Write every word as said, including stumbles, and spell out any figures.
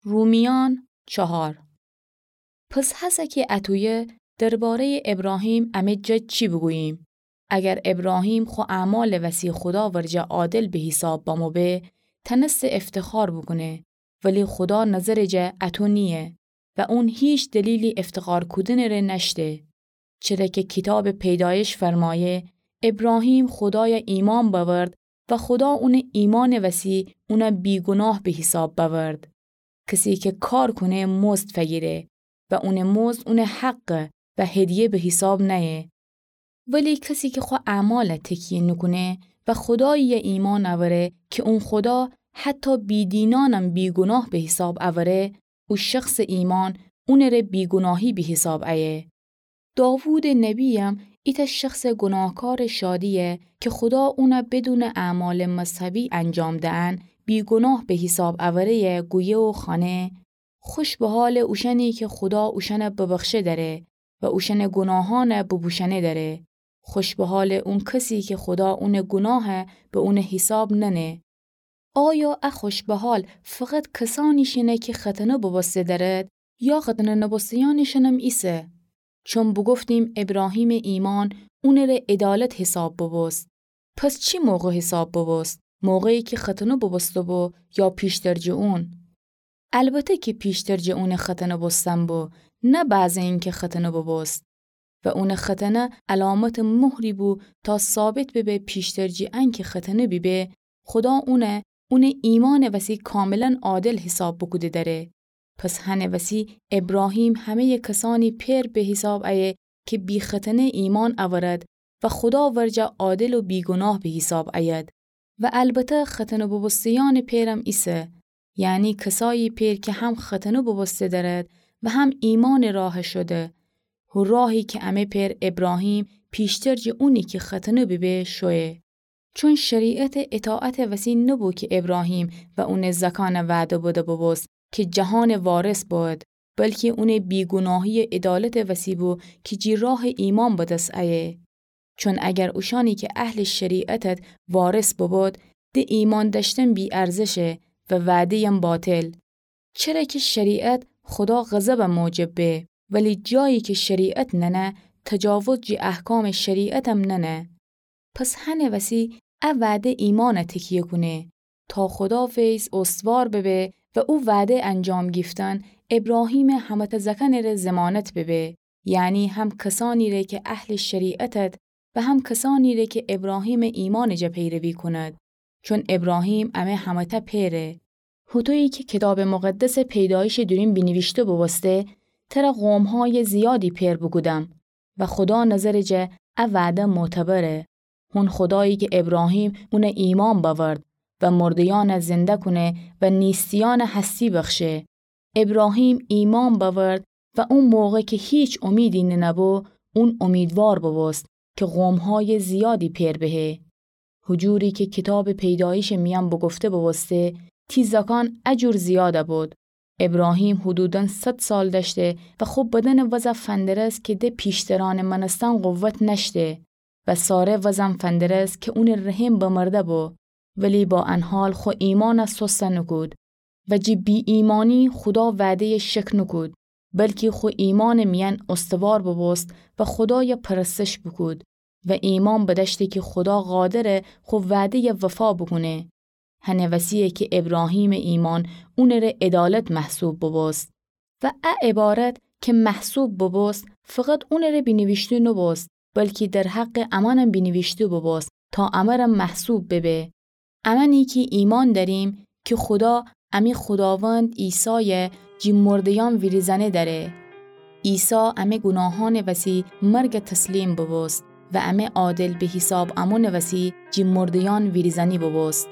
رومیان چهار. پس هسه کی اطویه، درباره‌یٚ ابراهیم امه جا چی بوگوییم؟ اگر ابراهیم خو اعمالٚ وسی خودا ورجه عادل به حیساب بمو به، تنسته افتخار بوکونه، ولی خودا نظرٚ جا اطو نییه و اون هیچ دلیلی افتخار کودنٚ ره نأشته. چره کی کیتابٚ پیدایش فرمایه، ابراهیم خودایَ ایمأن بأورد و خودا اونٚ ایمأنٚ وسی اونَ بیگوناه به حیساب بأورد. کسی کی کار کونه مزد فگیره و اونٚ مزد اونٚ حقه و هدیه به حیساب نأیه. ولی کسی کی خو اعمالَ تکیه نوکونه و خودایی‌یَ ایمأن اوره کی اون خودا حتی بی‌دینأنم بیگوناه به حیساب اوره، او شخصٚ ایمأن اونٚ ره بیگوناهی به حیساب ایه. داوودٚ نبی‌یم ایتأ شخصٚ گوناهکارٚ شادی‌یه کی خودا اونَ بدونٚ اعمالٚ مذهبی انجام دئن بیگوناه به حیساب اوره‌یه گویه و خوأنه: خوش به حالٚ اوشأنی کی خودا اوشأنَ ببخشه دأره و اوشأنٚ گوناهأنَ بوبوشأنه دأره. خوش به حالٚ اون کسی کی خودا اونٚ گوناهَ به اونٚ حیساب نأنه. آیا ا خوش به حال فقط کسأنی‌شینه کی ختنه بوبوسته دأرد، یا ختنه نوبوسته‌یأنی‌شینم ایسه؟ چون بوگفتیم ابراهیمٚ ایمأن اونٚ ره عدالت حیساب بوبوست. پس چی موقع حیساب بوبوست؟ موقعی کی ختنه بوبوسته بو یا پیشتر جٚه اون؟ البته کی پیشتر جٚه اونٚ ختنه بوستن بو، نه بعضٚ اینکی ختنه بوبوست. و اونٚ ختنه علامتٚ مهری بو تا ثابت ببه پیشتر جٚه انکی ختنه بیبه، خودا اونَ اونٚ ایمأنٚ وسی کاملاً عادل حیساب بوکوده دأره. پس هنٚ وسی ابراهیم همه‌یٚ کسأنی پئر به حیساب ایه کی بی‌ختنه ایمأن اورد و خودا ورجه عادل و بیگوناه به حیساب اید. و البته ختنه بوبوسته‌یأنٚ پئرم ایسه، یعنی کسأیی پئر کی هم ختنه بوبوسته دأرد و هم ایمأنٚ راه شده. هو راهی کی امه پئر ابراهیم پیشتر جٚه اونی کی ختنه بیبه شویه. چون شریعت اطاعتٚ وسی نبو کی ابراهیم و اونٚ زأکأنَ وعده بده بوبوست کی جهانٚ وارث بود، بلکی اونٚ بیگوناهی‌یٚ عدالتٚ وسی بو کی جٚه راهٚ ایمأن به دس ایه. چون اگر اوشأنی کی اهلٚ شریعتد وارث ببود، د ایمأن دأشتن بی‌ارزشه و وعده‌یم باطل. چره کی شریعت خودا غضبَ موجب به، ولی جایی کی شریعت ننه، تجاوز جٚه احکامٚ شریعتم ننه. پس هنٚ وسی ا وعده ایمأنَ تکیه کونه، تا خودا فیض استوار ببه و او وعده انجام گیفتن ابراهیمٚ همه‌تأ زأکأنٚ ره ضمانت ببه، یعنی هم کسأنی ره کی اهلٚ شریعتد و هم کسأنی ره کی ابراهیمٚ ایمأنٚ جا پیروی کونید. چون ابراهیم امه همه‌تأ پئره. هوطویی کی کیتابٚ مقدسٚ پیدایشٚ دورون بینیویشته بوبوسته: تره قوم‌هایٚ زیادی پئر بوکودم. و خودا نظرٚ جا ا وعده معتبره. هون خودایی کی ابراهیم اونَ ایمأن بأورد و مرده‌یأنَ زنده کونه و نیستیأنَ هستی بخشه. ابراهیم ایمأن بأورد و او موقع کی هیچ امیدی ننه‌بو، اون امیدوار بوبوست کی قوم‌هایٚ زیادی پئر بهه. هو جوری کی کیتابٚ پیدایشٚ میأن بوگفته بوبوسته: تی زأکأن ا جور زیادَ بود. ابراهیم حدوداً صد سال دأشته و خو بدنٚ وضع فندرست کی د پیشترأنٚ مأنستن قوت نأشته و ساره وضعم فندرست کی اونٚ رحم بمرده بو، ولی با ان حال خو ایمأنَ سست نوکود و جٚه بی‌ایمأنی خودا وعده‌یَ شک نوکود، بلکی خو ایمأنٚ میأن استوار بوبوست و خودایَ پرستش بوکود و ایمأن بدأشته کی خودا قادره خو وعده‌یَ وفا بوکونه. هنٚ وسی‌یه کی ابراهیمٚ ایمأن اونٚ ره عدالت محسوب بوبوست. و ا عبارت کی محسوب بوبوست، فقط اونٚ ره بینیویشته نوبوست، بلکی در حقٚ امأنم بینیویشته بوبوست، تا امرم محسوب ببه. امأنی کی ایمأن دأریم کی خودا امی خوداوند عیسایَ جٚه مرده‌یأن ویریزأنه دأره. عیسی امی گوناهأنٚ وسی مرگَ تسلیم بوبوست و امی عادل به حیساب امونٚ وسی جٚه مرده‌یأن ویریزأنی بوبوست.